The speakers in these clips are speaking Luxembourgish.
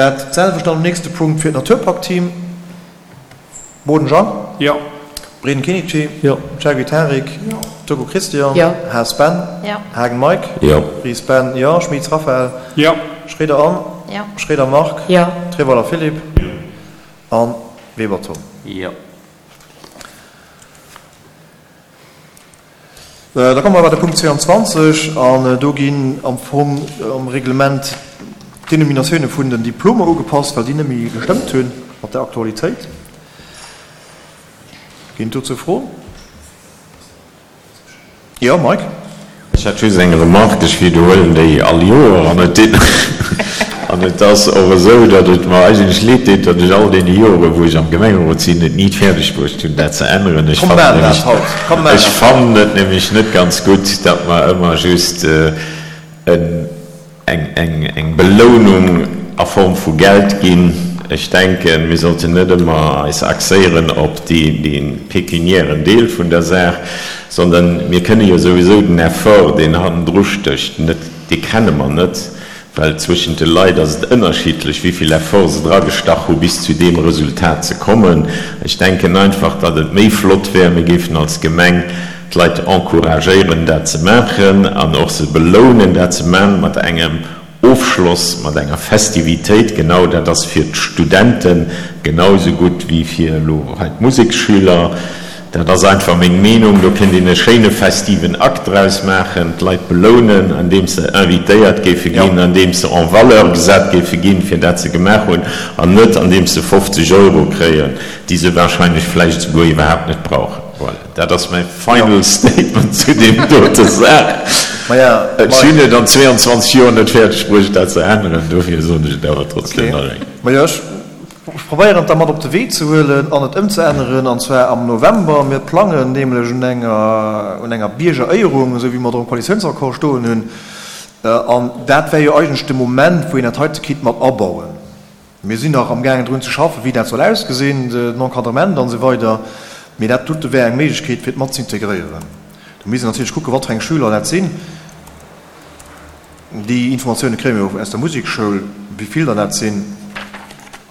Dat selwecht dann am nächste Punkt fir d'Naturpakt-Team. Boden Jean. Jo. Breden Kenichi. Jo. Chergui Tarik. Jo. Turco Christian. Jo. Haas Ben. Jo. Haagen Mike. Jo. Ries Ben, jo. Schmitz Raphaël. Jo. Schroeder Anne. Jo. Schroeder Marc. Jo. Treweiler Philippe. Jo. An Weber Tom. Jo. Da komme mer bei de Punkt 22, an do ginn am Fong am Reglement d'Denominatioune vun den Diplomer ugepasst, well déi net méi gestëmmt hunn mat der Aktualitéit. Ginn et dozou Froen? Jo, Mike? Ech hätt just eng Remarque, ech widderhuelen déi all Joer, an et an et ass och esou, datt et mer eigentlech leed deet, datt ech all deene Joren, wou ech am Gemengerot sinn, et ni fäerdeg bruecht hunn, dat ze änneren. Ech Komm, fannen maachen dat nämlech, haut. Komm, maachen ech dat haut. fannen et nämlech net ganz gutt, datt mer ëmmer just en eng Belounung a Form vu Geld ginn. Ech denken, mir sollten net ëmmer eis axéieren op dee pekuniären Deel vun der Saach, sondern mir kënne jo souwisou den Effort, deen hannendru stécht, net, dee kenne mer net, well zwëschent de Leit ass et ënnerschiddlech, wéi vill Effort se dragestach hu bis zu deem Resultat ze kommen. Ech denken einfach, datt et méi flott wär, mir géifen als Gemeng d'Leit encouragéieren dat ze maachen an och se belounen dat ze man mat engem Ofschloss, mat enger Festivitéit. Genau dat ass fir d'Studenten genau esou gutt wéi fir elo hei d'Museksschüler. Dat ass einfach meng Meenung. Do kéint een e schéine festiven Akt draus maachen, d'Leit belounen andeems se invitéiert géife ginn, andeems se en valeur gesat géife ginn fir dat se gemaach hunn an net andeems se 50 Euro kréien, déi se wahrscheinlech vläicht esouguer iwwerhaapt net brauchen. Voilà. Dat ass mäi final statement zu deem dote Saach. Ech hunn et an 22 Joer net fäerdeg bruecht, dat ze änneren, dofir soen ech et awer trotzdem nach eng Kéier. Majo, ech probéieren et da mat op de Wee ze huelen an et ëmzeänneren, an zwar am November. Mir plangen nämlech un enger, un enger Biergeréierung, esou wéi mer et och am Koalitiounsaccord stoen hunn. An dat wär jo eigentlech de Moment, wou een dat heite kinnt mat abauen. Mir sinn nach amgaangen drun ze schaffen, wéi dat soll ausgesinn, den Encadrement an esou weider, mee dat dote wär eng Méiglechkeet, fir et mat z'integréieren. Do misst een natierlech kucken, wat fir eng Schüler dat sinn. Déi Informatioune kréie mir jo aus der Musekschoul, wéi vill der dat sinn.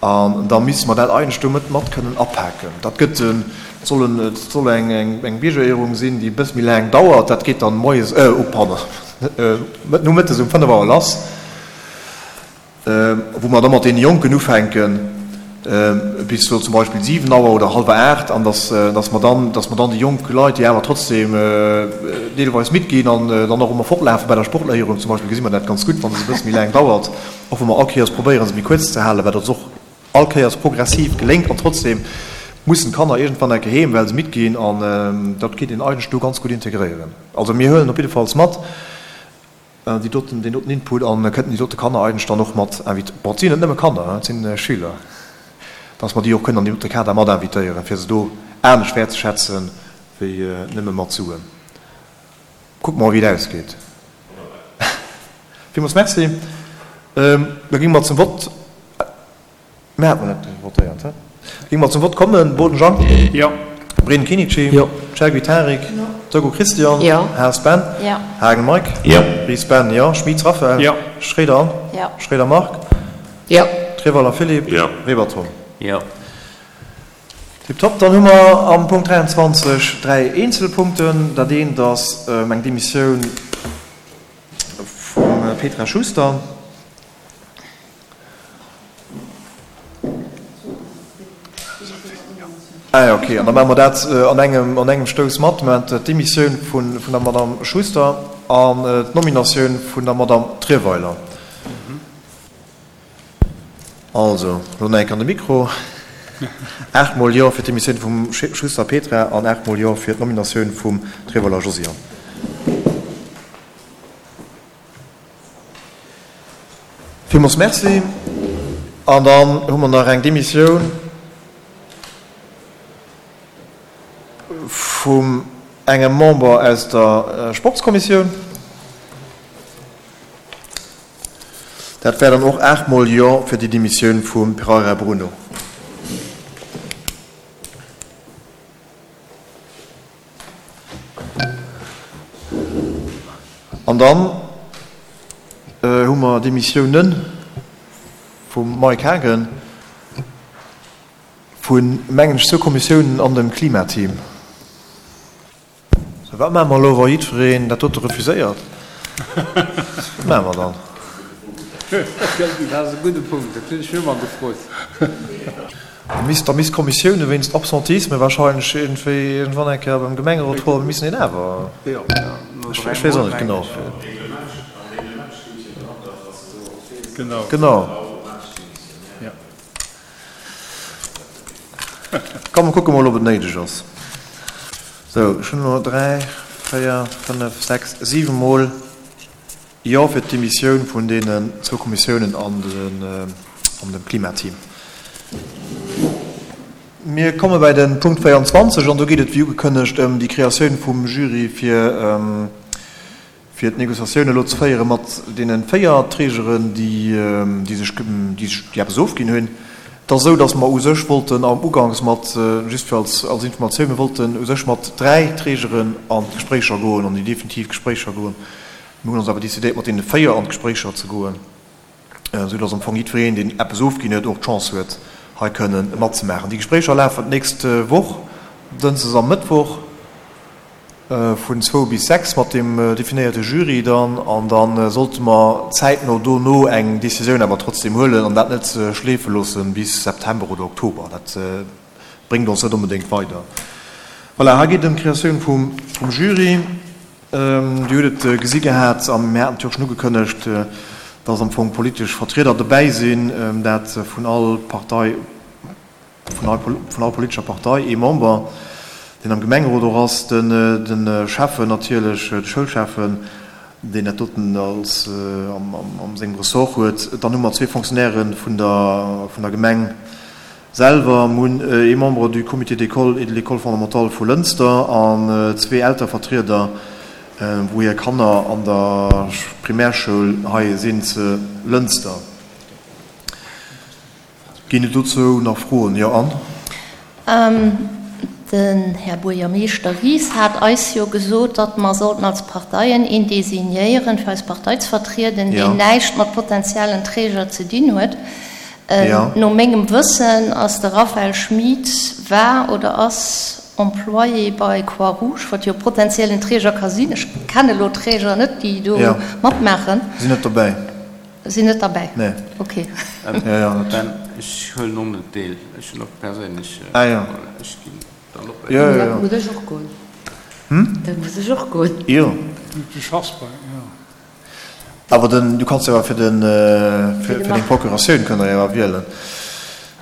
An da misste mer dat eigentlech do mat mat kënnen apaken. Dat gëtt en, et soll en, et soll eng, eng Biergeréierung sinn, déi e bësse méi laang dauert. Dat geet dann moies, oh pardon, nomëttes um 5 Auer lass. wou mer da mat deene Jonken ufänken, bis sou zum Beispill 7 Auer oder hallwer 8, an dass, dass mer dann, dass mer dann déi jonk Leit, déi awer trotzdem deelweis midd ginn an dann och ëmmer fortlafe bei der Sportléierung zum Beispill, gesi mer dat ganz gutt, wa se e bësse méi laang dauert, och wa mer all Kéiers probéieren, se méi kuerz ze halen, wat ons och all Kéiers progressiv geléngt, an trotzdem mussen d'Kanner iergendwann enke heem, well se midd ginn, an dat kéint een eigentlech do ganz gutt integréieren. Also mir huelen op jiddefalls mat. Déi doten, deen doten Input an kënnten déi dote Kanner eigentlech dann och mat invit-, bon, et sinn net nëmme Kanner, et sinn Schüler, dass mer déi och kënnen an deem dote Kader mat invitéieren, fir se do anescht wäertzeschätzen wéi nëmme mat Suen. Kucke mer, wéi et ausgeet. Villmools Merci. Da géinge mer zum Vott. Mir haten net votéiert, he? Géinge mer zum Vott kommen. Boden Jean. Jo. Breden Kenichi. Jo. Chergui Tarik. Jo. Turgo Christian. Jo. Haas Ben. Jo. Haagen Mike. Jo. Ries Ben, jo. Schmitz Raphaël. Jo. Schroeder Anne. Jo. Schroeder Marc. Jo. Treweiler Philippe. Jo. Weber Tom. Jo. Tiptop. Dann hu mer am Punkt 23 dräi eenzel Punkten. Dat eent ass eng Demissioun vum Petra Schuster. Ah jo, okay. An da maache mer dat an engem, an engem Stouss mat. Mer hunn d'Demissioun vun, vun der Madame Schuster an d'Nominatioun vun der Madame Trierweiler. Also, elo nach eng Kéier an de Mikro. Aachtmol Jo fir d'Demissioun vum Schuster Petra an aachtmol Jo fir d'Nominatioun vum Trierweiler Josiane. Villmools Merci. An dann hu mer nach eng Demissioun vum engem Member aus der Sportskommissioun. Dat wär dann och aachtmol Jo fir déi Demissioun vum Pereira Bruno. An dann hu mer Demissiounen. Vum Mike Haagen, vun, mengen ech, zwou Kommissiounen an dem Klimateam. Sou, wat maache mer elo, wa jiddwereen dat dote refuséiert? Wat maache mer dann? Dat ass e gudde Punkt, dat hunn ech mir ëmmer gefrot. Da misst, da misst d'Kommissioune wéinst Absentisme wahrscheinlech iergendwéi iergendwann eng Kéier beim Gemengerot froen, mir missen een awer, ech weess och net genau. Genau. Komm, mer kucke mol, ob et néideg ass. Sou, ech hunn elo 3, 4, 5, 6, 7 Mol Jo fir d'Demissioun vun deenen zwou Kommissiounen an dem Klimateam. Mir komme bäi de Punkt 24 an do geet et, wéi ugekënnegt, ëm déi Kreatioun vum Jury fir fir d'Négociatioun elo ze féiere mat deene 4 Trägeren, déi sech, déi eppes ofginn hunn. Et ass esou, datt mer u sech wollten am Uganks mat, just fir als Informatioun, mir wollten u sech mat 3 Trägeren an d'Gespréicher goen, an déi definitiv Gespréicher goen. Mir hunn ons awer décidéiert, mat deene 4 an d'Gespréicher ze goen, esou datt am Fong jiddwereen, deen eppes ofginn huet, och d'Chance huet, hei kënnen matzemaachen. Déi Gespréicher lafen d'nächst Woch, Dënschdes a Mëttwoch. Vun zwou bis 6 mat dem definéierte Jury dann, an da sollte mer zäitno dono eng Décisioun awer trotzdem huelen an dat net schleefe loosse bis September oder Oktober. Dat bréngt ons net onbedéngt weider. Voilà, hei geet et ëm d'Kreatioun vum Jury. Dir hutt et gesi gehat a mir haten et jo och schonn ugekënnegt, dass am Fong politesch Vertrieder dobäi sinn, dat vun all Partei, vun all politescher Partei ee Member, deen am Gemengerot och ass, de Schäffen natierlech, de Schoulschäffen, deen dat doten als am sengem Ressort huet. Dann hu mer zwee Fonctionnairë vun der vun der Gemeng selwer, mir hunn ee Membre du Comité d'école et de l'école fondamentale vu Lënster an zwee Eltervertrieder, wou hir Kanner an der Primärschoul hei sinn ze Lënster. Ginn et dozou nach Froen? Jo, Anne? Den Här Buergermeeschter Ries hat eis jo gesot, datt mer sollten als Parteien een designéieren, fir eis Partei ze vertrieden, deen näischt mat potenziellen Träger ze dinn huet. No mengem Wëssen ass de Raphaël Schmit, war oder ass Employé bei Croix-Rouge, wat jo potenziellen Träger ka sinn. Ech kenne elo d'Träger net, déi do matmaachen. Sinn net dobäi. Sinn net derbäi? Nee. Ok. Ja, ja, dat. Ben, ech huelen och net deel. Ech hunn och perséinlech. Ah jo. Ech ginn dann op. Jo, jo, jo. Da muss ech och goen. Hm? Da muss ech och goen. Jo. Du schaffs bei, jo. Awer den, du kanns jo awer fir den, fir deng Procuratioun kënnt der jo awer wielen.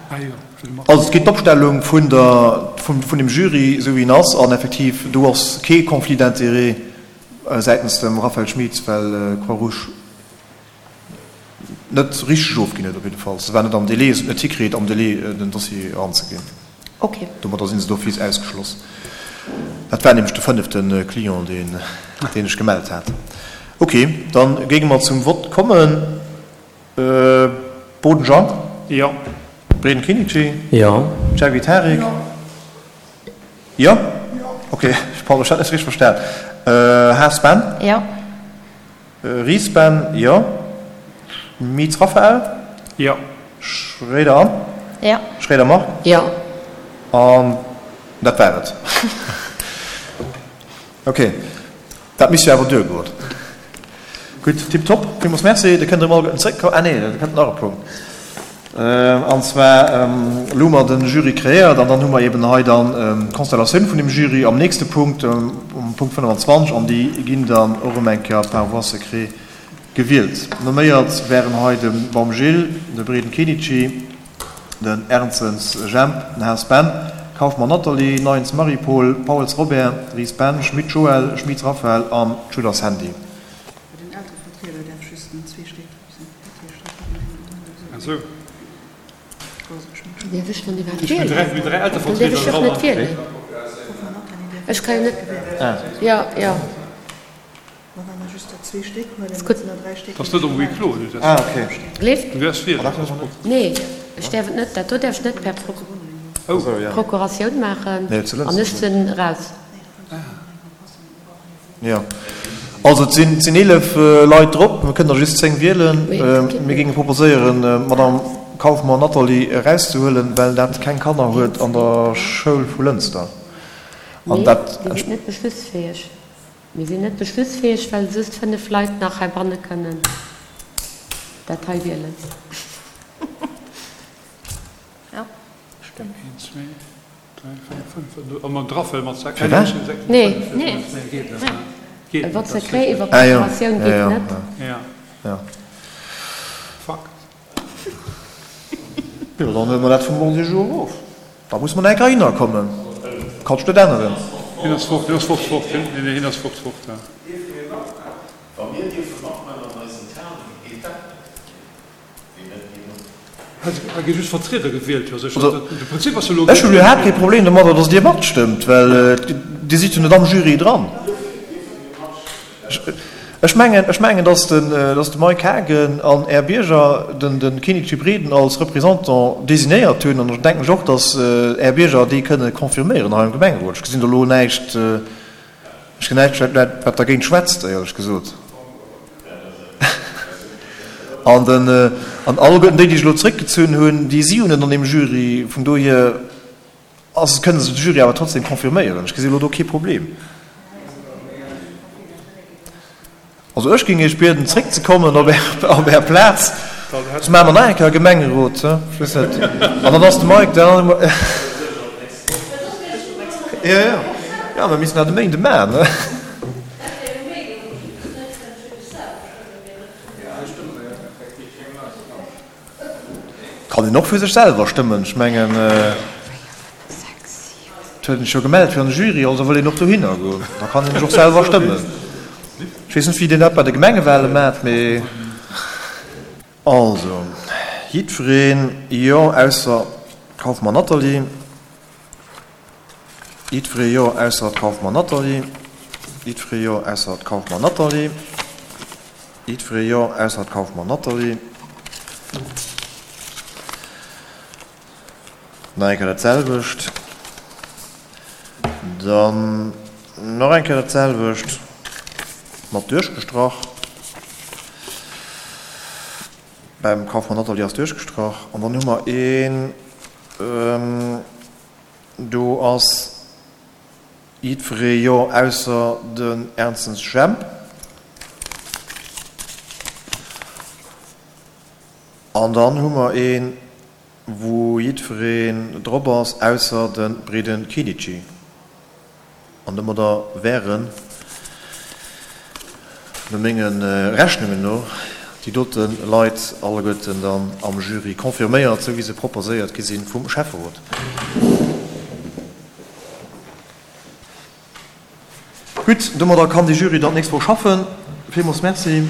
Ah jo, fir de Marc. Also et geet d'Opstellung vun der, vun, vun dem Jury, esou wéi en ass, an effektiv do ass kee Conflit d'intérêt säitens dem Raphaël Schmit, well Croix-Rouge net richteg ofginn huet op jidde Fall. Se war net am Délai, se huet net hikritt am Délai den Dossier eranzeginn. Okay. Domadder si se d'office ausgeschloss. Dat war nämlech de fënnefte Client, deen deen ech gemellt hat. Okay, da géinge mer zum Vott kommen. Boden Jean? Jo. Breden Kinnici? Jo. Djawi Tarik? Jo. Jo? Ok, pardon, ech hat net richteg verstan. Haas Ben? Jo. Ries Ben, jo. Schmitz Raphael? Jo. Schréider Anne? Jo. Schréider Marc? Jo. An dat war et. Ok. Dat misst jo awer duergoen. Gutt, tiptop, villmools Merci. Da kënnt Der emol zréckkommen. Ah nee, da kënnt nach e Punkt. An zwar, elo hu mer de Jury kreéiert an dann hu mer eeben hei dann d'Constellatioun vun dem Jury am nächste Punkt, um Punkt 25, an déi ginn dann och erëm eng Kéier par voie secrète gewielt. Nomméiert wären hei de Baum Gilles, de Breden Kenichi, den Ernzens Jemp, den Haas Ben, Kauffmann Nathalie, Neyens Marie-Paule, Pauels Robert, Ries Ben, Schmit Joël, Schmit Raphaël an Tudor Sandy. Bei den Elterevertrieder däerf just den zwee Stéck drop sinn. Dat heescht, dat kann een esou. Däerf ech dann iwwerhaapt wielen? Dann däerf ech och net wielen. Ech ka jo net. Jo, jo. Gleeft? Nee, ech däerf et net. Dat do däerf ech net per Procuratioun maachen an ech sinn eraus. Jo, also et sinn 11 Leit drop, mir kënnen der just 10 wielen. Mir géinge proposéieren, d'Madame. Kaufmann Nathalie erauszehuelen, well dat keng Kanner huet an der Schoul vu Lënster. An dat. Mir sinn net beschlussfäeg. Mir sinn net beschlussfäeg, well just 5 Leit nach heibanne kënnen dat hei wielen. Jo, stëmmt. Een, zwee, dräi, véier, fënnf. A mer draffel mat sechs. Firwat? Nee. Nee. Geet net. Geet net. Vote secret iwwer Procuratioun geet net. Ja. Ja. Fakt. Jo, dann huele mer dat vum Ordre du jour erof. Da muss mer nach eng Kéier hinner kommen. Kann ech net änneren. Hien ass fort, hien ass fort, fort, hien, nee, nee, hien ass fort, fort, ja. Dierfe mir matmaachen? Wa mir dierfe matmaachen an eisen Tagungen, geet dat net. Wéi net genuch? Hei gi just Vertrieder gewielt, jo sécher. De Prinzip ass jo elo. Ech hunn iwwerhaapt kee Problem domadder, datt Dir matstëmmt, well Dir sidd jo net am Jury dran. Ech mengen, ech mengen, datt den, datt de Mike Haagen an Är Bierger den, de Kenichi Breden als Représentant designéiert hunn. An da denken ech och, datt Är Bierger dee kënne confirméieren hei am Gemengerot. Ech gesinn do elo näischt, ech gesinn näischt, wat, wat dergéint schwätzt, éierlech gesot. An den, an alleguerten déi, déi sech elo zréckgezunn hunn, déi si jo net an deem Jury. Vun dohier. Ass, kënne se de Jury awer trotzdem confirméieren. Ech gesi elo do kee Problem. Also ech géing Iech bieden zréckzekommen op Är, op Är Plaz. Soss maache mer nach eng Kéier e Gemengerot, ech weess net. An dann ass de Mike dann. Jo, jo, jo, mir missten dat e Méinde maachen, ne? Kann een och fir sech selwer stëmmen. Ech mengen, et huet een sech jo gemellt fir an de Jury, also wëll een och dohinner goen. Da kann een sech och selwer stëmmen. Ech weess net, wéi dir dat bei de Gemengewale maacht, mee. Also, jiddwereen, jo, ausser d'Kaufmann Nathalie. Jiddweree jo, ausser d'Kaufmann Nathalie. Jiddweree jo, ausser d'Kaufmann Nathalie. Jiddweree jo, ausser d'Kaufmann Nathalie. Nach eng Kéier dat selwecht. Dann nach eng Kéier dat selwecht, mat duerchgestrach. Beim Kaufmann Nathalie ass duerchgestrach. An dann hu mer een, do ass jiddweree jo, ausser den Ernzens Jemp. An dann hu mer een, wou jiddwereen drop ass, ausser de Breden Kinici. An domadder wären, no menge Rechnungen no, déi dote Leit alleguerten dann am Jury confirméiert, esou wéi se proposéiert gi si vum Schäfferot. Gutt, domadder kann de Jury dann d'nächst Woch schaffen. Villmools Merci.